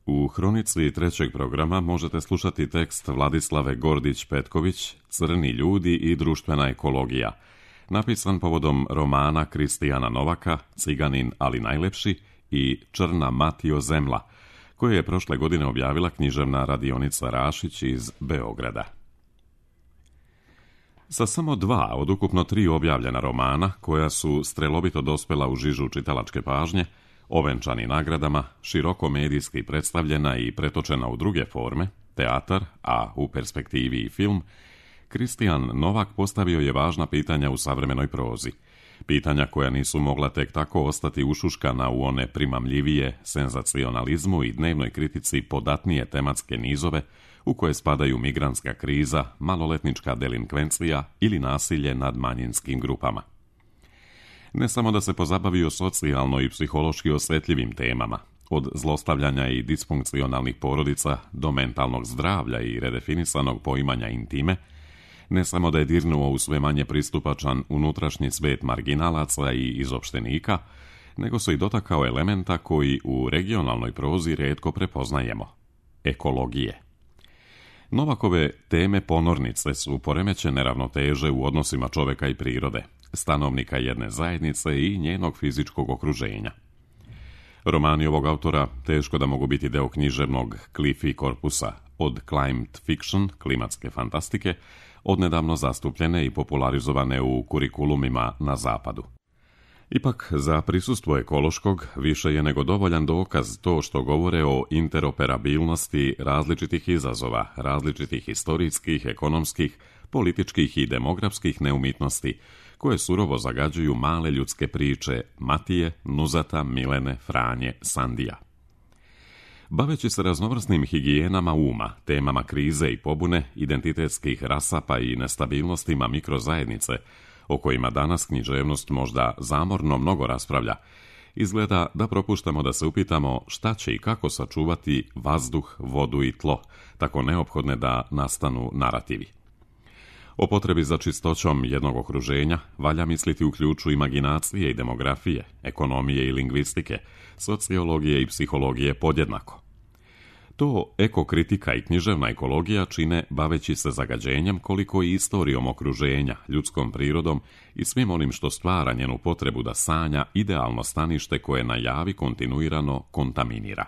U hronici trećeg programa možete slušati tekst Vladislave Gordić-Petković Crni ljudi i društvena ekologija, napisan povodom romana Kristijana Novaka Ciganin ali najlepši i Črna Matijo zemla, koje je prošle godine objavila književna radionica Rašić iz Beograda. Sa samo 2 od ukupno 3 objavljena romana, koja su strelovito dospela u žižu čitalačke pažnje, ovenčani nagradama, široko medijski predstavljena i pretočena u druge forme, teatar, a u perspektivi i film, Kristijan Novak postavio je važna pitanja u savremenoj prozi. Pitanja koja nisu mogla tek tako ostati ušuškana u one primamljivije senzacionalizmu i dnevnoj kritici podatnije tematske nizove u koje spadaju migrantska kriza, maloletnička delinkvencija ili nasilje nad manjinskim grupama. Ne samo da se pozabavio socijalno i psihološki osjetljivim temama, od zlostavljanja i disfunkcionalnih porodica do mentalnog zdravlja i redefinisanog poimanja intime, ne samo da je dirnuo u sve manje pristupačan unutrašnji svet marginalaca i izopštenika, nego se i dotakao elementa koji u regionalnoj prozi rijetko prepoznajemo – ekologije. Novakove teme ponornice su poremećene ravnoteže u odnosima čovjeka i prirode, stanovnika jedne zajednice i njenog fizičkog okruženja. Romani ovog autora teško da mogu biti deo književnog Cliffy korpusa, od climate fiction, klimatske fantastike, odnedavno zastupljene i popularizovane u kurikulumima na zapadu. Ipak, za prisustvo ekološkog više je nego dovoljan dokaz to što govore o interoperabilnosti različitih izazova, različitih historijskih, ekonomskih, političkih i demografskih neumitnosti, koje surovo zagađuju male ljudske priče Matije, Nuzata, Milene, Franje, Sandija. Baveći se raznovrsnim higijenama uma, temama krize i pobune, identitetskih rasapa i nestabilnostima mikrozajednice, o kojima danas književnost možda zamorno mnogo raspravlja, izgleda da propuštamo da se upitamo šta će i kako sačuvati vazduh, vodu i tlo, tako neophodne da nastanu narativi. O potrebi za čistoćom jednog okruženja valja misliti u ključu imaginacije i demografije, ekonomije i lingvistike, sociologije i psihologije podjednako. To ekokritika i književna ekologija čine baveći se zagađenjem koliko i istorijom okruženja, ljudskom prirodom i svim onim što stvara njenu potrebu da sanja idealno stanište koje na javi kontinuirano kontaminira.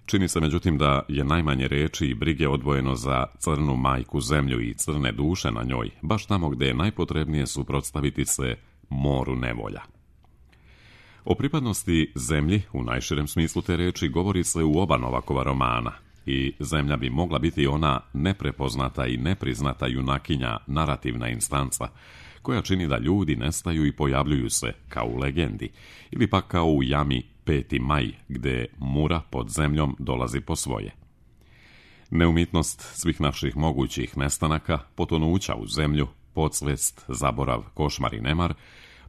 Čini se međutim da je najmanje reči i brige odvojeno za crnu majku zemlju i crne duše na njoj, baš tamo gde je najpotrebnije suprotstaviti se moru nevolja. O pripadnosti zemlji, u najširem smislu te reči, govori se u oba Novakova romana i zemlja bi mogla biti ona neprepoznata i nepriznata junakinja, narativna instanca, koja čini da ljudi nestaju i pojavljuju se, kao u legendi, ili pak kao u jami 5. maj, gde mura pod zemljom dolazi po svoje. Neumitnost svih naših mogućih nestanaka, potonuća u zemlju, podsvest, zaborav, košmar i nemar,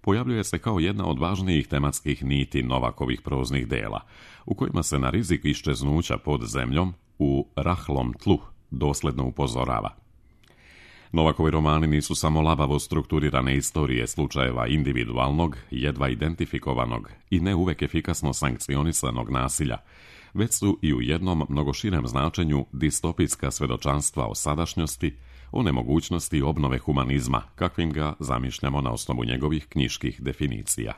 pojavljuje se kao jedna od važnijih tematskih niti Novakovih proznih dela, u kojima se na rizik iščeznuća pod zemljom u rahlom tlu dosledno upozorava. Novakovi romani nisu samo labavo strukturirane istorije slučajeva individualnog, jedva identifikovanog i ne uvek efikasno sankcionisanog nasilja, već su i u jednom mnogo širem značenju distopijska svedočanstva o sadašnjosti, o nemogućnosti obnove humanizma, kakvim ga zamišljamo na osnovu njegovih knjiških definicija.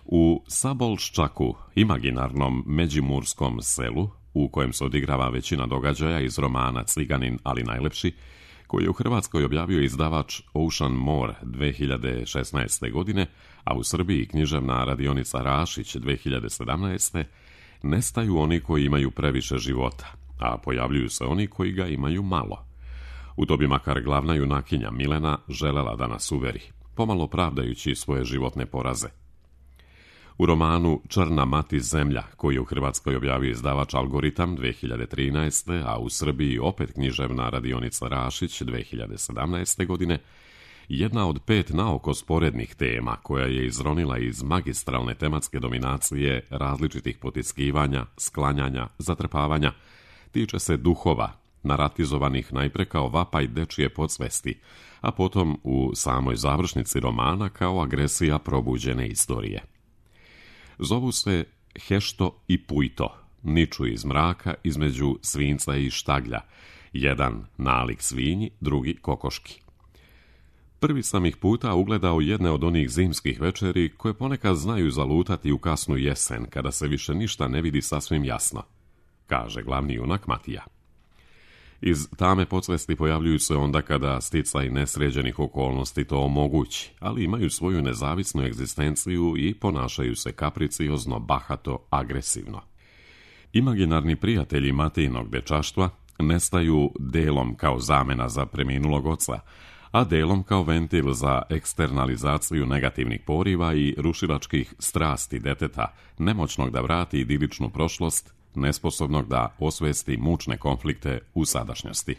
U Sabolščaku, imaginarnom međimurskom selu, u kojem se odigrava većina događaja iz romana Ciganin ali najlepši, koji je u Hrvatskoj objavio izdavač Ocean More 2016. godine, a u Srbiji književna radionica Rašić 2017. nestaju oni koji imaju previše života, a pojavljuju se oni koji ga imaju malo. U to bi makar glavna junakinja Milena želela da nas uveri, pomalo pravdajući svoje životne poraze. U romanu Črna mati zemlja, koji je u Hrvatskoj objavio izdavač Algoritam 2013. a u Srbiji opet književna radionica Rašić 2017. godine, jedna od 5 naoko sporednih tema koja je izronila iz magistralne tematske dominacije različitih potiskivanja, sklanjanja, zatrpavanja, tiče se duhova, naratizovanih najpre kao vapaj dečije podsvesti, a potom u samoj završnici romana kao agresija probuđene istorije. Zovu se Hešto i Pujto niču iz mraka između svinca i štaglja, jedan nalik svinji, drugi kokoški. Prvi sam ih puta ugledao jedne od onih zimskih večeri koje ponekad znaju zalutati u kasnu jesen, kada se više ništa ne vidi sasvim jasno, kaže glavni junak Matija. Iz tame podsvesti pojavljuju se onda kada sticaj nesređenih okolnosti to omogući, ali imaju svoju nezavisnu egzistenciju i ponašaju se kapriciozno, bahato, agresivno. Imaginarni prijatelji Matijinog dečaštva nestaju delom kao zamena za preminulog oca, a delom kao ventil za eksternalizaciju negativnih poriva i rušilačkih strasti deteta, nemoćnog da vrati idiličnu prošlost, nesposobnog da osvesti mučne konflikte u sadašnjosti.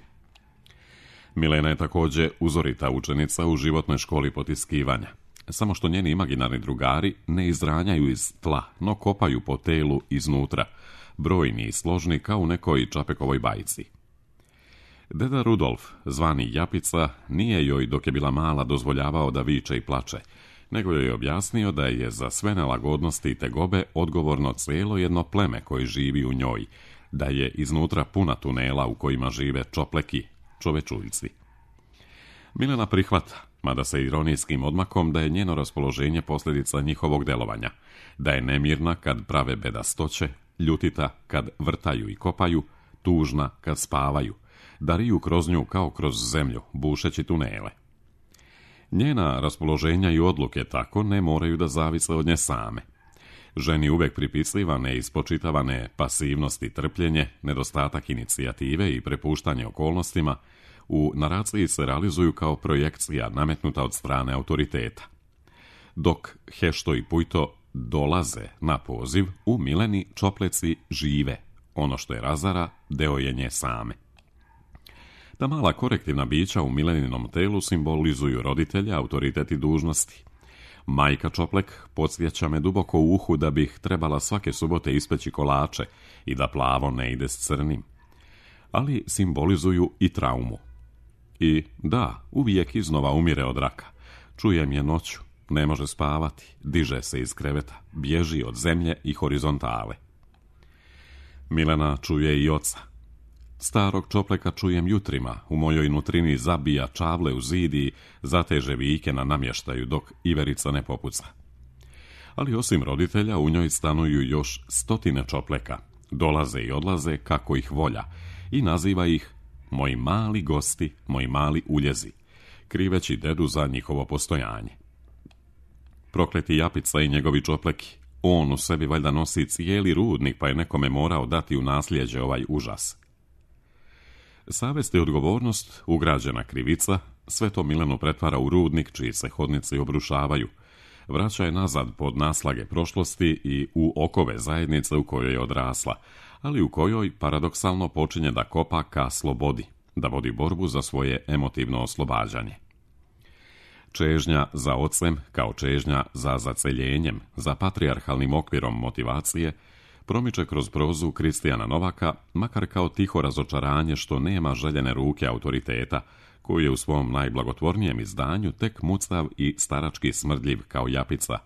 Milena je također uzorita učenica u životnoj školi potiskivanja, samo što njeni imaginarni drugari ne izranjaju iz tla, no kopaju po telu iznutra, brojni i složni kao u nekoj Čapekovoj bajci. Deda Rudolf, zvani Japica, nije joj dok je bila mala dozvoljavao da viče i plače, nego joj je objasnio da je za sve nelagodnosti i tegobe odgovorno cijelo jedno pleme koje živi u njoj, da je iznutra puna tunela u kojima žive čopleki, čovečuljci. Milena prihvata, mada se ironijskim odmakom, da je njeno raspoloženje posljedica njihovog delovanja, da je nemirna kad prave bedastoće, ljutita kad vrtaju i kopaju, tužna kad spavaju, da riju kroz nju kao kroz zemlju, bušeći tunele. Njena raspoloženja i odluke tako ne moraju da zavise od nje same. Ženi uvek pripisivane i spočitavane pasivnost i trpljenje, nedostatak inicijative i prepuštanje okolnostima, u naraciji se realizuju kao projekcija nametnuta od strane autoriteta. Dok Hešto i Pujto dolaze na poziv, u Mileni čopleci žive. Ono što je razara, deo je nje same. Ta mala korektivna bića u Mileninom telu simbolizuju roditelja, autoritet i dužnosti. Majka Čoplek podsjeća me duboko u uhu da bih trebala svake subote ispeći kolače i da plavo ne ide s crnim. Ali simbolizuju i traumu. I da, uvijek iznova umire od raka. Čujem je noću, ne može spavati, diže se iz kreveta, bježi od zemlje i horizontale. Milena čuje i oca. Starog Čopleka čujem jutrima, u mojoj nutrini zabija čavle u zid i zateže vike na namještaju dok iverica ne popuca. Ali osim roditelja u njoj stanuju još stotine Čopleka, dolaze i odlaze kako ih volja i naziva ih moji mali gosti, moji mali uljezi, kriveći dedu za njihovo postojanje. Prokleti Japica i njegovi Čopleki, on u sebi valjda nosi cijeli rudnik pa je nekome morao dati u nasljeđe ovaj užas. Savest i odgovornost, ugrađena krivica, sve to Milenu pretvara u rudnik čiji se hodnici obrušavaju, vraća je nazad pod naslage prošlosti i u okove zajednice u kojoj je odrasla, ali u kojoj paradoksalno počinje da kopa ka slobodi, da vodi borbu za svoje emotivno oslobađanje. Čežnja za ocem kao čežnja za zaceljenjem, za patrijarhalnim okvirom motivacije, promiče kroz prozu Kristijana Novaka, makar kao tiho razočaranje što nema željene ruke autoriteta, koji je u svom najblagotvornijem izdanju tek mucav i starački smrdljiv kao Japica,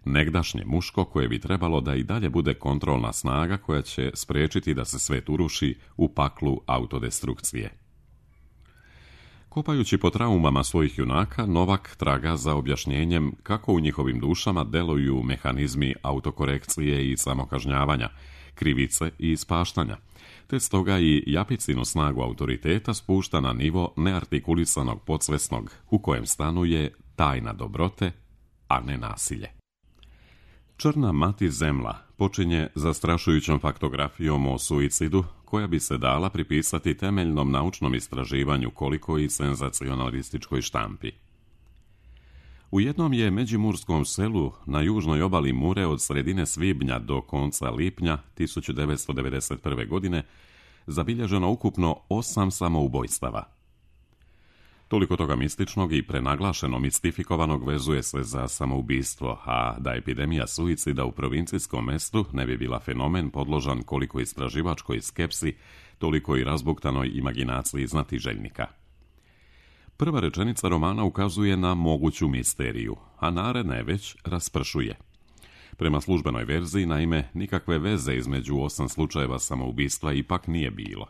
negdašnje muško koje bi trebalo da i dalje bude kontrolna snaga koja će spriječiti da se svet uruši u paklu autodestrukcije. Kopajući po traumama svojih junaka, Novak traga za objašnjenjem kako u njihovim dušama deluju mehanizmi autokorekcije i samokažnjavanja, krivice i ispaštanja, te stoga i Japicinu snagu autoriteta spušta na nivo neartikulisanog podsvesnog u kojem stanuje tajna dobrote, a ne nasilje. Črna mati zemla počinje zastrašujućom faktografijom o suicidu, koja bi se dala pripisati temeljnom naučnom istraživanju koliko i senzacionalističkoj štampi. U jednom je međimurskom selu na južnoj obali Mure od sredine svibnja do konca lipnja 1991. godine zabilježeno ukupno 8 samoubojstava. Toliko toga mističnog i prenaglašeno mistifikovanog vezuje se za samoubistvo, a da epidemija suicida u provincijskom mestu ne bi bila fenomen podložan koliko istraživačkoj skepsi, toliko i razbuktanoj imaginaciji znatiželjnika. Prva rečenica romana ukazuje na moguću misteriju, a naredna je već raspršuje. Prema službenoj verziji, naime, nikakve veze između 8 slučajeva samoubistva ipak nije bilo.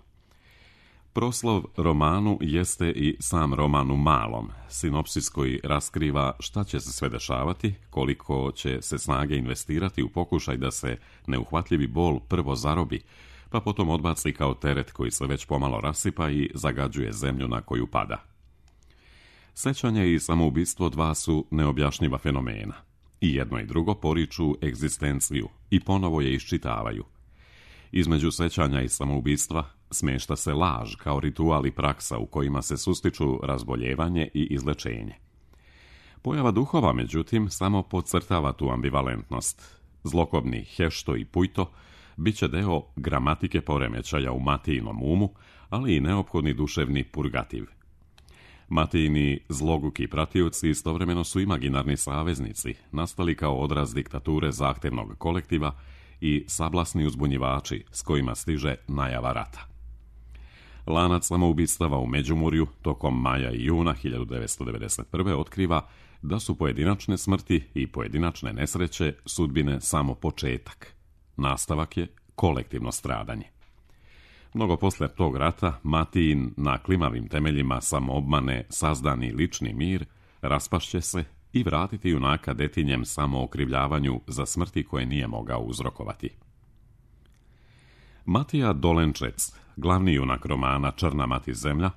Proslov romanu jeste i sam roman u malom, sinopsis koji raskriva šta će se sve dešavati, koliko će se snage investirati u pokušaj da se neuhvatljivi bol prvo zarobi, pa potom odbaci kao teret koji se već pomalo rasipa i zagađuje zemlju na koju pada. Sećanje i samoubistvo dva su neobjašnjiva fenomena. I jedno i drugo poriču egzistenciju i ponovo je iščitavaju. Između sećanja i samoubistva smješta se laž kao ritual i praksa u kojima se sustiču razboljevanje i izlečenje. Pojava duhova, međutim, samo podcrtava tu ambivalentnost. Zlokobni Hešto i Pujto bit će deo gramatike poremećaja u Matijinom umu, ali i neophodni duševni purgativ. Matijini zloguki pratioci istovremeno su imaginarni saveznici, nastali kao odraz diktature zahtevnog kolektiva i sablasni uzbunjivači s kojima stiže najava rata. Lanac samoubistava u Međimurju tokom maja i juna 1991. otkriva da su pojedinačne smrti i pojedinačne nesreće sudbine samo početak. Nastavak je kolektivno stradanje. Mnogo poslije tog rata, Matijin na klimavim temeljima samoobmane sazdani lični mir raspašće se i vratiti junaka detinjem samookrivljavanju za smrti koje nije mogao uzrokovati. Matija Dolenčec, glavni junak romana Črna mati zemlja,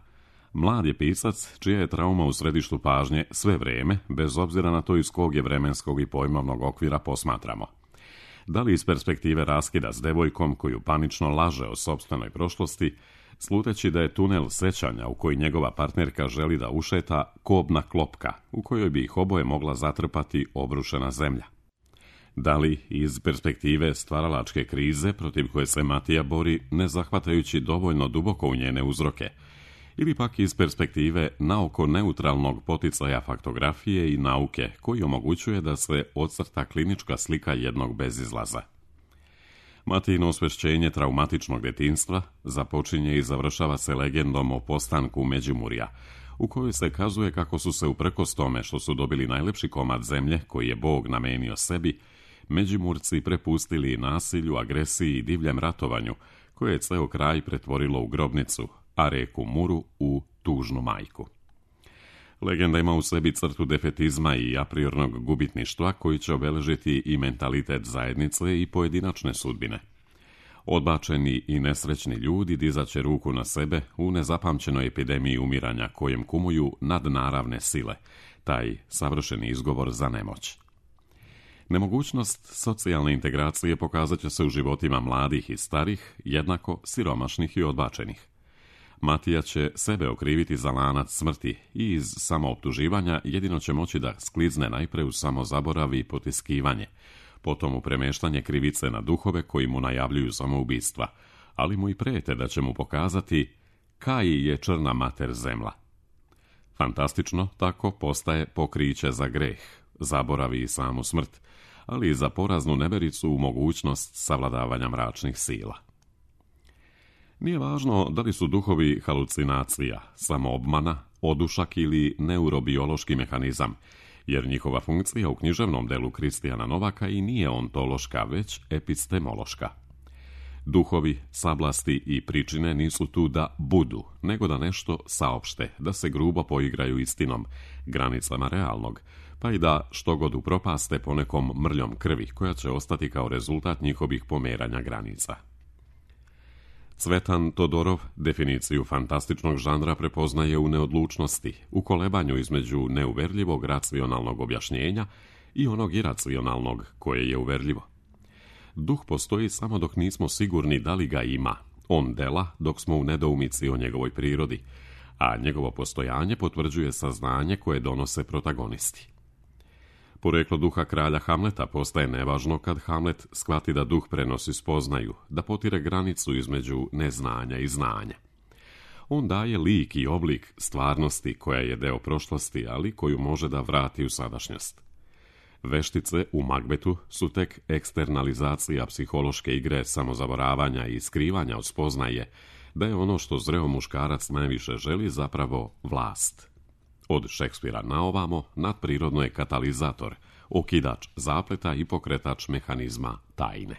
mlad je pisac čija je trauma u središtu pažnje sve vrijeme, bez obzira na to iz kog je vremenskog i pojmovnog okvira posmatramo. Da li iz perspektive raskida s devojkom koju panično laže o sopstvenoj prošlosti, sluteći da je tunel sećanja u koji njegova partnerka želi da ušeta kobna klopka, u kojoj bi ih oboje mogla zatrpati obrušena zemlja. Da li iz perspektive stvaralačke krize protiv koje se Matija bori, ne zahvatajući dovoljno duboko u njene uzroke, ili pak iz perspektive naoko neutralnog poticaja faktografije i nauke koji omogućuje da se ocrta klinička slika jednog bezizlaza. Matijino osvešćenje traumatičnog detinjstva započinje i završava se legendom o postanku Međimurja, u kojoj se kazuje kako su se uprkos tome što su dobili najlepši komad zemlje koji je Bog namenio sebi, Međimurci prepustili nasilju, agresiji i divljem ratovanju, koje je ceo kraj pretvorilo u grobnicu, a reku Muru u tužnu majku. Legenda ima u sebi crtu defetizma i apriornog gubitništva koji će obeležiti i mentalitet zajednice i pojedinačne sudbine. Odbačeni i nesrećni ljudi dizaće ruku na sebe u nezapamćenoj epidemiji umiranja kojem kumuju nadnaravne sile, taj savršeni izgovor za nemoć. Nemogućnost socijalne integracije pokazat će se u životima mladih i starih, jednako siromašnih i odbačenih. Matija će sebe okriviti za lanac smrti i iz samooptuživanja jedino će moći da sklizne najpre u samozaborav i potiskivanje, potom u premeštanje krivice na duhove koji mu najavljuju samoubistva, ali mu i prete da će mu pokazati kaj je črna mater zemlja. Fantastično tako postaje pokriće za greh, zaboravi i samu smrt, ali i za poraznu nevericu u mogućnost savladavanja mračnih sila. Nije važno da li su duhovi halucinacija, samoobmana, odušak ili neurobiološki mehanizam, jer njihova funkcija u književnom delu Kristijana Novaka i nije ontološka, već epistemološka. Duhovi, sablasti i pričine nisu tu da budu, nego da nešto saopšte, da se grubo poigraju istinom, granicama realnog, pa i da što god upropaste ponekom mrljom krvi koja će ostati kao rezultat njihovih pomeranja granica. Cvetan Todorov definiciju fantastičnog žanra prepoznaje u neodlučnosti, u kolebanju između neuverljivog racionalnog objašnjenja i onog iracionalnog koje je uverljivo. Duh postoji samo dok nismo sigurni da li ga ima, on dela dok smo u nedoumici o njegovoj prirodi, a njegovo postojanje potvrđuje saznanje koje donose protagonisti. Poreklo duha kralja Hamleta postaje nevažno kad Hamlet shvati da duh prenosi spoznaju, da potire granicu između neznanja i znanja. On daje lik i oblik stvarnosti koja je deo prošlosti, ali koju može da vrati u sadašnjost. Veštice u Magbetu su tek eksternalizacija psihološke igre samozaboravanja i skrivanja od spoznaje da je ono što zreo muškarac najviše želi zapravo vlast. Od Šekspira naovamo nadprirodno je katalizator, okidač zapleta i pokretač mehanizma tajne.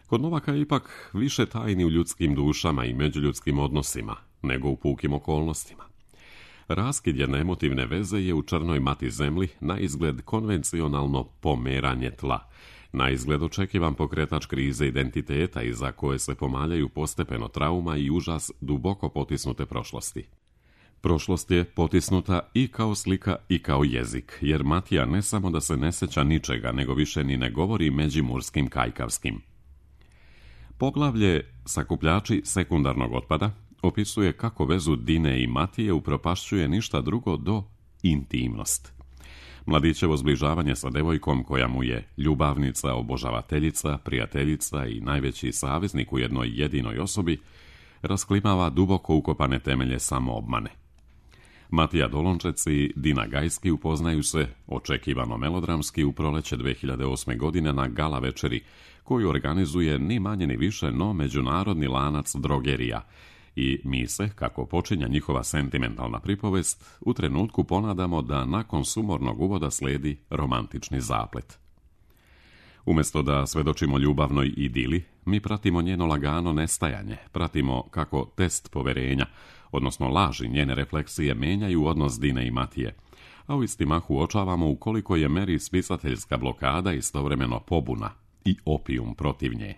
Kod Novaka je ipak više tajni u ljudskim dušama i međuljudskim odnosima nego u pukim okolnostima. Raskid jedne emotivne veze je u črnoj mati zemlji na izgled konvencionalno pomeranje tla, na izgled očekivan pokretač krize identiteta iza koje se pomaljaju postepeno trauma i užas duboko potisnute prošlosti. Prošlost je potisnuta i kao slika i kao jezik, jer Matija ne samo da se ne sjeća ničega, nego više ni ne govori međimurskim kajkavskim. Poglavlje Sakupljači sekundarnog otpada opisuje kako vezu Dine i Matije upropašćuje ništa drugo do intimnost. Mladićevo zbližavanje sa devojkom koja mu je ljubavnica, obožavateljica, prijateljica i najveći saveznik u jednoj jedinoj osobi rasklimava duboko ukopane temelje samoobmane. Matija Dolončec i Dina Gajski upoznaju se, očekivano melodramski, u proleće 2008. godine na gala večeri, koju organizuje ni manje ni više no međunarodni lanac drogerija, i mi se, kako počinja njihova sentimentalna pripovest, u trenutku ponadamo da nakon sumornog uvoda slijedi romantični zaplet. Umjesto da svedočimo ljubavnoj idili, mi pratimo njeno lagano nestajanje, pratimo kako test poverenja, odnosno laži njene refleksije, menjaju odnos Dine i Matije, a u isti mah uočavamo u koliko je meri spisateljska blokada istovremeno pobuna i opijum protiv nje.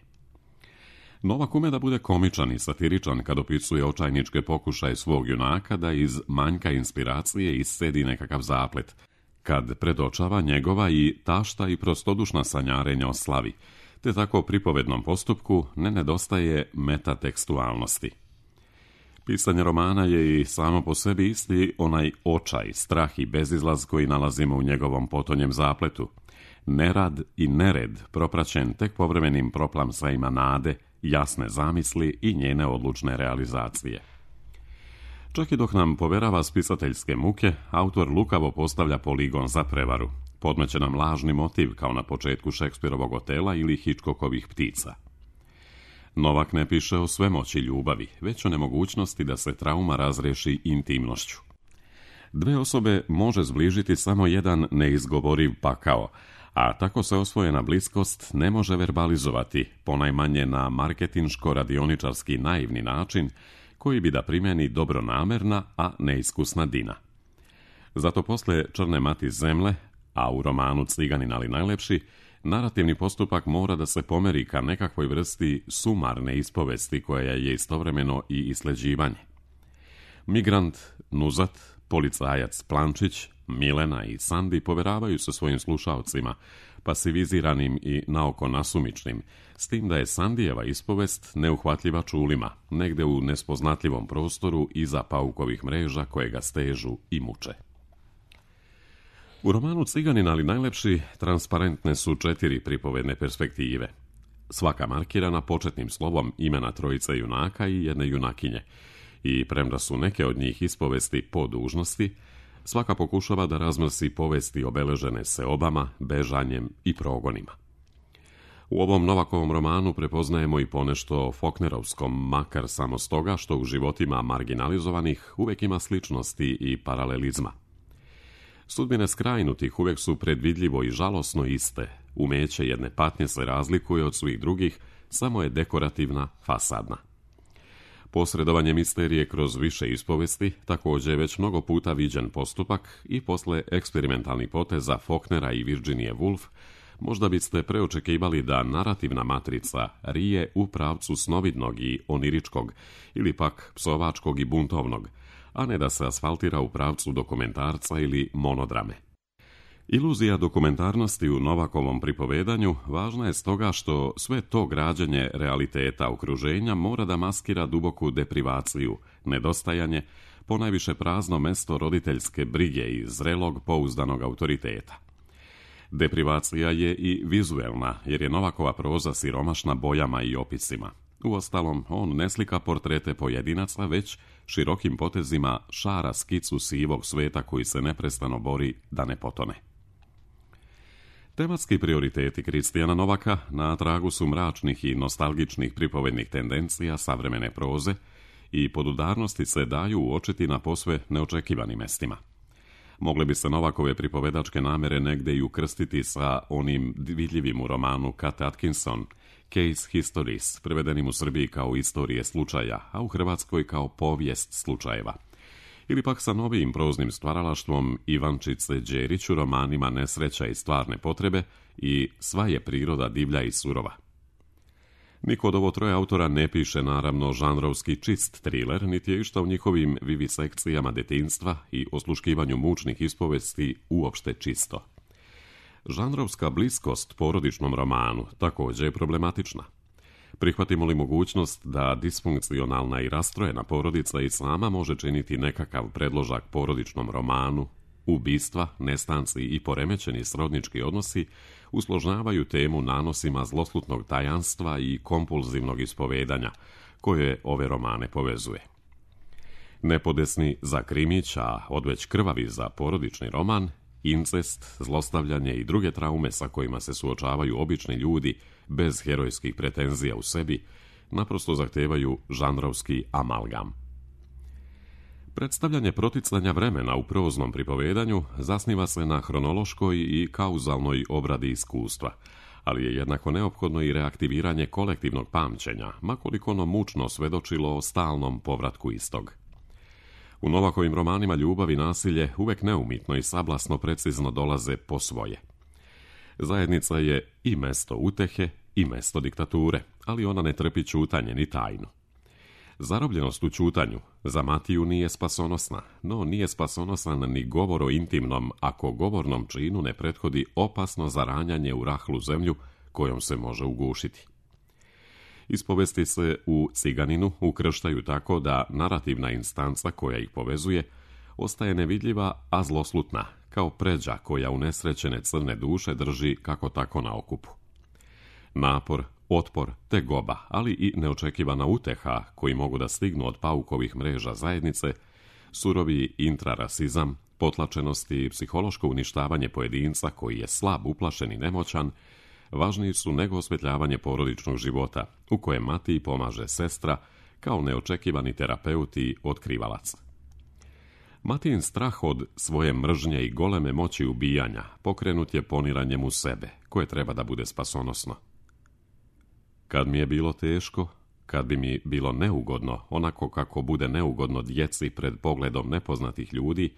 Novak ume da bude komičan i satiričan kad opisuje očajničke pokušaje svog junaka da iz manjka inspiracije iscedi nekakav zaplet, kad predočava njegova i tašta i prostodušna sanjarenja o slavi, te tako pripovednom postupku ne nedostaje metatekstualnosti. Pisanje romana je i samo po sebi isti onaj očaj, strah i bezizlaz koji nalazimo u njegovom potonjem zapletu. Nerad i nered propraćen tek povremenim proplamsajima nade, jasne zamisli i njene odlučne realizacije. Čak i dok nam poverava spisateljske muke, autor lukavo postavlja poligon za prevaru. Podmeće nam lažni motiv kao na početku Šekspirovog Otela ili Hitchcockovih Ptica. Novak ne piše o svemoći ljubavi, već o nemogućnosti da se trauma razreši intimnošću. Dve osobe može zbližiti samo jedan neizgovoriv pakao, a tako se osvojena bliskost ne može verbalizovati, ponajmanje na marketinško-radioničarski naivni način koji bi da primjeni dobronamerna, a neiskusna Dina. Zato posle Črne mati zemlje, a u romanu Ciganin ali najlepši, narativni postupak mora da se pomeri ka nekakvoj vrsti sumarne ispovesti koja je istovremeno i isleđivanje. Migrant, Nuzat, policajac Plančić, Milena i Sandi poveravaju se svojim slušaocima, pasiviziranim i naoko nasumičnim, s tim da je Sandijeva ispovest neuhvatljiva čulima, negde u nespoznatljivom prostoru iza paukovih mreža koje ga stežu i muče. U romanu Ciganin ali najlepši transparentne su 4 pripovedne perspektive. Svaka markirana početnim slovom imena trojice junaka i jedne junakinje, i premda su neke od njih ispovesti po dužnosti, svaka pokušava da razmrsi povesti obeležene seobama, bežanjem i progonima. U ovom Novakovom romanu prepoznajemo i ponešto Faulknerovskom, makar samo stoga što u životima marginalizovanih uvek ima sličnosti i paralelizma. Sudbine skrajnutih uvek su predvidljivo i žalosno iste, umeće jedne patnje se razlikuje od svih drugih, samo je dekorativna, fasadna. Posredovanje misterije kroz više ispovesti također je već mnogo puta viđen postupak i posle eksperimentalnih poteza Faulknera i Virginie Woolf možda biste preočekivali da narativna matrica rije u pravcu snovidnog i oniričkog ili pak psovačkog i buntovnog, a ne da se asfaltira u pravcu dokumentarca ili monodrame. Iluzija dokumentarnosti u Novakovom pripovedanju važna je stoga što sve to građenje realiteta okruženja mora da maskira duboku deprivaciju, nedostajanje, ponajviše prazno mesto roditeljske brige i zrelog pouzdanog autoriteta. Deprivacija je i vizuelna, jer je Novakova proza siromašna bojama i opisima. Uostalom, on ne slika portrete pojedinaca, već širokim potezima šara skicu sivog sveta koji se neprestano bori da ne potone. Tematski prioriteti Kristijana Novaka na tragu su mračnih i nostalgičnih pripovednih tendencija savremene proze i podudarnosti se daju uočiti na posve neočekivanim mestima. Mogle bi se Novakove pripovedačke namere negde i ukrstiti sa onim vidljivim u romanu Kat Atkinson, Case Histories, prevedenim u Srbiji kao istorije slučaja, a u Hrvatskoj kao povijest slučajeva. Ili pak sa novijim proznim stvaralaštvom Ivančice Đerić u romanima Nesreća i stvarne potrebe i Sva je priroda divlja i surova. Niko od ovo troje autora ne piše naravno žanrovski čist triler, niti je išta u njihovim vivisekcijama detinjstva i osluškivanju mučnih ispovesti uopšte čisto. Žanrovska bliskost porodičnom romanu također je problematična. Prihvatimo li mogućnost da disfunkcionalna i rastrojena porodica i sama može činiti nekakav predložak porodičnom romanu, ubistva, nestanci i poremećeni srodnički odnosi usložnjavaju temu nanosima zloslutnog tajanstva i kompulzivnog ispovedanja, koje ove romane povezuje. Nepodesni za krimić, a odveć krvavi za porodični roman, incest, zlostavljanje i druge traume sa kojima se suočavaju obični ljudi bez herojskih pretenzija u sebi, naprosto zahtevaju žanrovski amalgam. Predstavljanje proticanja vremena u proznom pripovedanju zasniva se na hronološkoj i kauzalnoj obradi iskustva, ali je jednako neophodno i reaktiviranje kolektivnog pamćenja, makoliko ono mučno svedočilo o stalnom povratku istog. U Novakovim romanima ljubav i nasilje uvek neumitno i sablasno precizno dolaze po svoje. Zajednica je i mesto utehe i mesto diktature, ali ona ne trpi ćutanje ni tajnu. Zarobljenost u ćutanju za Matiju nije spasonosna, no nije spasonosan ni govor o intimnom, ako govornom činu ne prethodi opasno zaranjanje u rahlu zemlju kojom se može ugušiti. Ispovesti se u Ciganinu ukrštaju tako da narativna instanca koja ih povezuje ostaje nevidljiva, a zloslutna, kao pređa koja unesrećene crne duše drži kako tako na okupu. Napor, otpor, tegoba, ali i neočekivana uteha koji mogu da stignu od paukovih mreža zajednice, surovi intrarasizam, potlačenost i psihološko uništavanje pojedinca koji je slab, uplašen i nemoćan, važniji su nego osvetljavanje porodičnog života, u kojem Matiji pomaže sestra kao neočekivani terapeut i otkrivalac. Matijin strah od svoje mržnje i goleme moći ubijanja pokrenut je poniranjem u sebe, koje treba da bude spasonosno. Kad mi je bilo teško, kad bi mi bilo neugodno, onako kako bude neugodno djeci pred pogledom nepoznatih ljudi,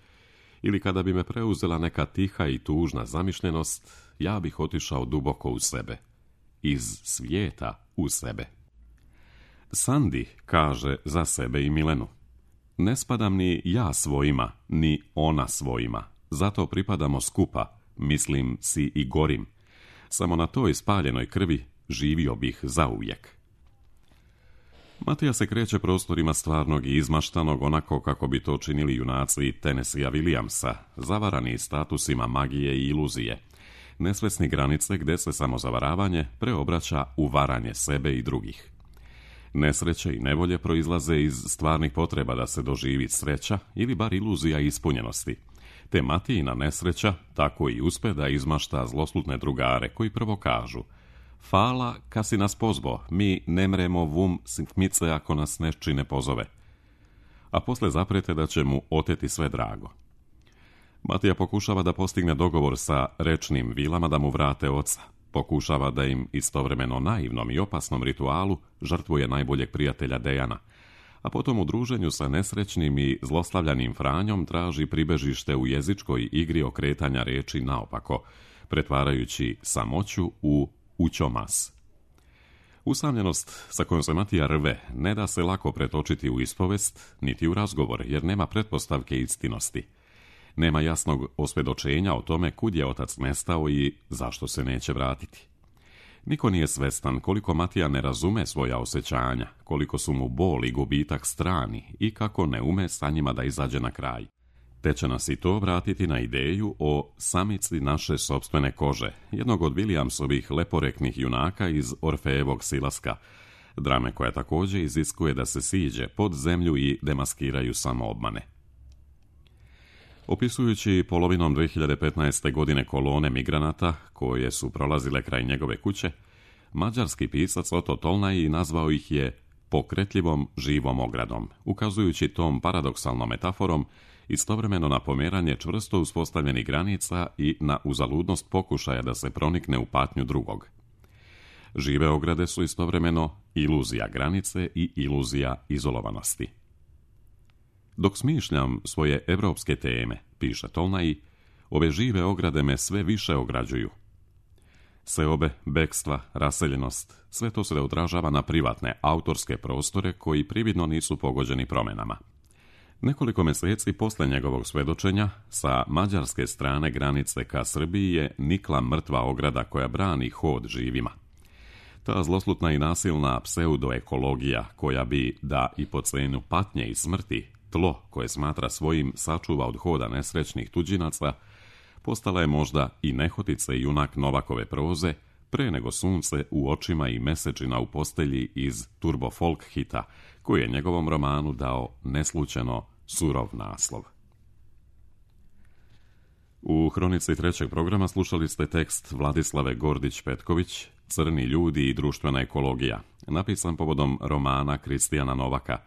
ili kada bi me preuzela neka tiha i tužna zamišljenost, ja bih otišao duboko u sebe. Iz svijeta u sebe. Sandi kaže za sebe i Milenu: ne spadam ni ja svojima, ni ona svojima. Zato pripadamo skupa, mislim si i gorim. Samo na toj spaljenoj krvi živio bih zauvijek. Matija se kreće prostorima stvarnog i izmaštanog onako kako bi to činili junaci Tennesseea Williamsa, zavarani statusima magije i iluzije, nesvesni granice gde se samozavaravanje preobraća u varanje sebe i drugih. Nesreće i nevolje proizlaze iz stvarnih potreba da se doživi sreća ili bar iluzija ispunjenosti, te Matijina nesreća tako i uspe da izmašta zloslutne drugare koji prvo kažu: fala, ka si nas pozvo, mi ne mremo vum sitmice ako nas nešči ne pozove. A posle zaprete da će mu oteti sve drago. Matija pokušava da postigne dogovor sa rečnim vilama da mu vrate oca. Pokušava da im istovremeno naivnom i opasnom ritualu žrtvuje najboljeg prijatelja Dejana, a potom u druženju sa nesrećnim i zlostavljanim Franjom traži pribežište u jezičkoj igri okretanja reči naopako, pretvarajući samoću u ućomas. Usamljenost sa kojom se Matija rve ne da se lako pretočiti u ispovest, niti u razgovor, jer nema pretpostavke istinosti. Nema jasnog osvjedočenja o tome kud je otac nestao i zašto se neće vratiti. Niko nije svestan koliko Matija ne razume svoja osjećanja, koliko su mu bol i gubitak strani i kako ne ume sa njima da izađe na kraj. Te će nas i to vratiti na ideju o samici naše sopstvene kože, jednog od Williamsovih leporeknih junaka iz Orfejevog Silaska, drame koja također iziskuje da se siđe pod zemlju i demaskiraju samoobmane. Opisujući polovinom 2015. godine kolone migranata koje su prolazile kraj njegove kuće, mađarski pisac Oto Tolnai nazvao ih je pokretljivom živom ogradom, ukazujući tom paradoksalnom metaforom istovremeno na pomeranje čvrsto uspostavljenih granica i na uzaludnost pokušaja da se pronikne u patnju drugog. Žive ograde su istovremeno iluzija granice i iluzija izolovanosti. Dok smišljam svoje evropske teme, piše Tolnai, ove žive ograde me sve više ograđuju. Seobe, bekstva, raseljenost, sve to se odražava na privatne, autorske prostore koji prividno nisu pogođeni promjenama. Nekoliko mjeseci posle njegovog svedočenja, sa mađarske strane granice ka Srbiji je nikla mrtva ograda koja brani hod živima. Ta zloslutna i nasilna pseudoekologija koja bi, da i po cenu patnje i smrti, tlo koje smatra svojim sačuva od hoda nesrećnih tuđinaca, postala je možda i nehotice i junak Novakove proze, pre nego sunce u očima i mesečina u postelji iz turbo folk hita, koji je njegovom romanu dao neslučajno surov naslov. U hronici trećeg programa slušali ste tekst Vladislave Gordić-Petković, Crni ljudi i društvena ekologija, napisan povodom romana Kristijana Novaka,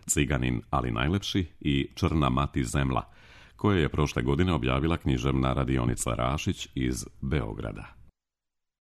Ciganin, ali najlepši i Črna mati zemla, koje je prošle godine objavila književna radionica Rašić iz Beograda.